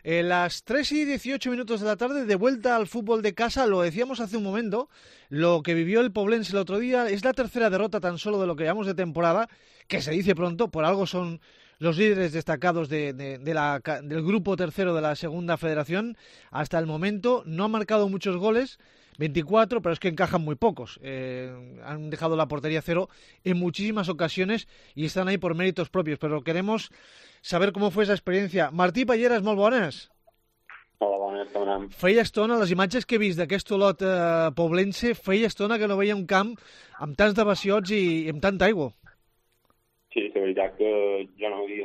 Las 3:18 de la tarde, de vuelta al fútbol de casa, lo decíamos hace un momento, lo que vivió el Poblense el otro día es la tercera derrota tan solo de lo que llevamos de temporada, que se dice pronto, por algo son los líderes destacados del grupo tercero de la segunda federación. Hasta el momento no han marcado muchos goles, 24, pero es que encajan muy pocos. Han dejado la portería cero en muchísimas ocasiones y están ahí por méritos propios, pero queremos saber cómo fue esa experiencia. Martí Palleres, molt bones. Hola, bones, com anem? Feia estona, les imatges que he vist d'aquest Olot poblense, feia estona que no veia un camp amb tants devassiots i amb tanta aigua. Sí, la veritat que jo no ho he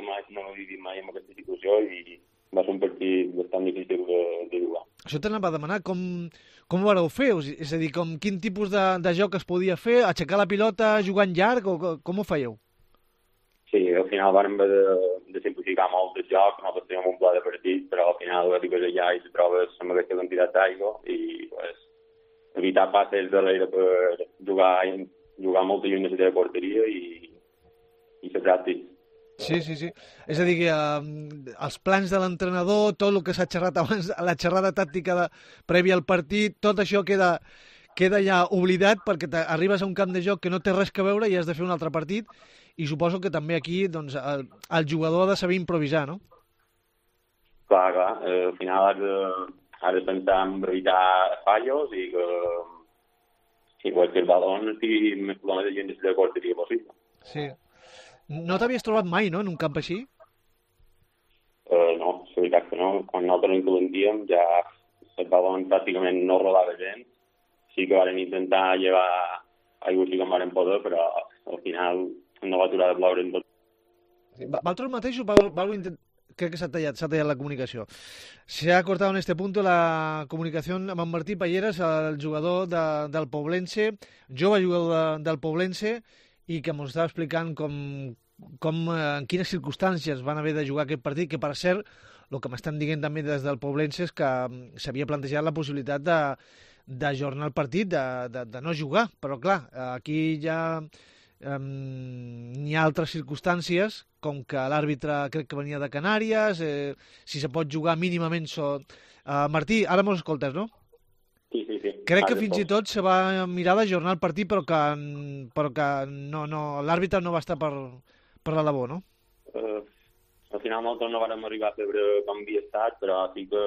vist mai en aquesta situació i va ser un partit bastant difícil de jugar. Això t'anava a demanar, com ho vareu fer? És a dir, quin tipus de joc es podia fer? Aixecar la pilota, jugar en llarg, o com ho fèieu? Sí, al final vam haver de simplificar molt el joc, nosaltres teníem un pla de partit, però al final arribes allà i te trobes amb aquesta quantitat d'aigua i pues, evitar passes darrere per jugar molt lluny de la teva porteria i ser pràctic. Sí. És a dir, que els plans de l'entrenador, tot el que s'ha xerrat abans, la xerrada tàctica prèvia al partit, tot això queda ja oblidat perquè arribes a un camp de joc que no té res a veure i has de fer un altre partit, i suposo que també aquí doncs, el jugador ha de saber improvisar, no? Clar, al final has de pensar en evitar fallos i que el balón estigui més lluny de la porteria possible. Sí. No t'havies trobat mai, no?, en un camp així? No, la veritat que no. Quan nosaltres ens calentíem ja el balón pràcticament no rodava gens. Sí que vam intentar llevar aigua sí que en vam poder, però al final no va aturar de ploure en tot. Vosaltres mateixos crec que s'ha tallat la comunicació. Se ha cortado en este punto la comunicación amb en Martí Palleres, el jugador del Poblense, jove jugador del Poblense, i que ens estava explicant en quines circumstàncies van haver de jugar aquest partit, que per cert, el que m'estan dient també des del Poblense és que s'havia plantejat la possibilitat d'ajornar el partit, de no jugar, però clar, aquí ja n'hi ha altres circumstàncies, com que l'àrbitre crec que venia de Canàries, si se pot jugar mínimament... Martí, ara mos escoltes, no? Sí. Crec que fins i tot se va mirar d'ajornar el partit, però que l'àrbitre no va estar per la labor, no? Al final nosaltres no vam arribar a veure com havia estat, però sí que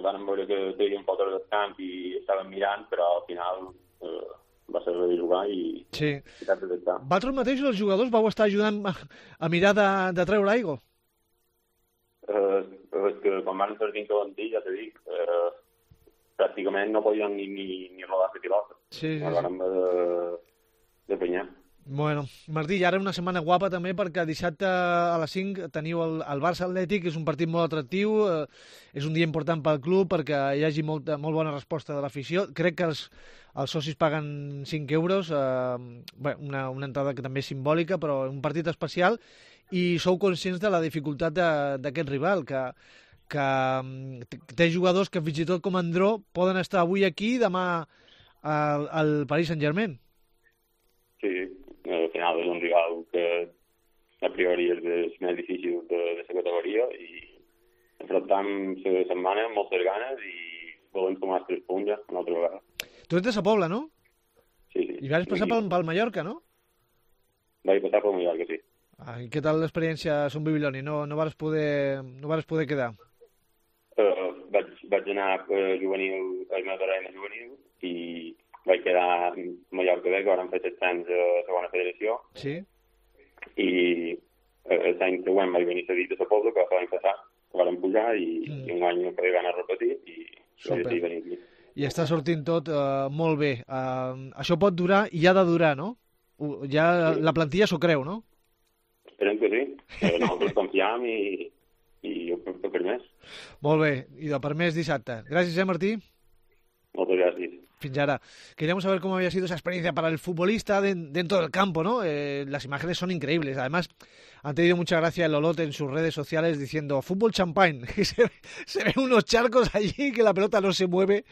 vam veure que teníem fotos del camp i estàvem mirant, però al final va ser de jugar i cap de tractar. Vosaltres mateixos, els jugadors, vau estar ajudant a mirar de treure l'aigua? És que quan van sortir en calentí, ja t'he dit, pràcticament no podien ni rodar la pilota. Sí. Vam de penyar. Bueno, Martí, i ara una setmana guapa també perquè dissabte a les 5 teniu el Barça Atlètic, és un partit molt atractiu, és un dia important pel club perquè hi hagi molt bona resposta de l'afició. Crec que els socis paguen 5 euros, una entrada que també és simbòlica, però un partit especial, i sou conscients de la dificultat d'aquest rival, que té jugadors que fins i tot com Andró poden estar avui aquí i demà al Paris Saint-Germain. Sí, al final és un rival que a priori és més difícil de la categoria i enfrontam la setmana amb moltes ganes i volem sumar els 3 punts ja una altra vegada. Tu ets de Sa Pobla, no? Sí. I vas passar pel Mallorca, no? Vaig passar pel Mallorca, sí. I què tal l'experiència a Son Bibiloni? No vas poder quedar? Vaig anar a juvenil, al meu terreny de juvenil, i vaig quedar a Mallorca B, que vam fer 7 anys a la segona federació. Sí. I l'any següent vaig venir cedit a Sa Pobla, que l'any passat vam pujar, i un any no podia anar a repetir, i vaig decidir venir aquí. I està sortint tot molt bé. Això pot durar i ha de durar, no? Ja la plantilla s'ho creu, no? Esperem que sí. Nosaltres confiam i per més. Molt bé, i de per més dissabte. Gràcies, Martí. Moltes gràcies. Fins ahora. Queríamos saber cómo había sido esa experiencia para el futbolista dentro del campo, ¿no? Las imágenes son increíbles. Además, han tenido mucha gracia el Olot en sus redes sociales diciendo fútbol champagne. Se ven unos charcos allí que la pelota no se mueve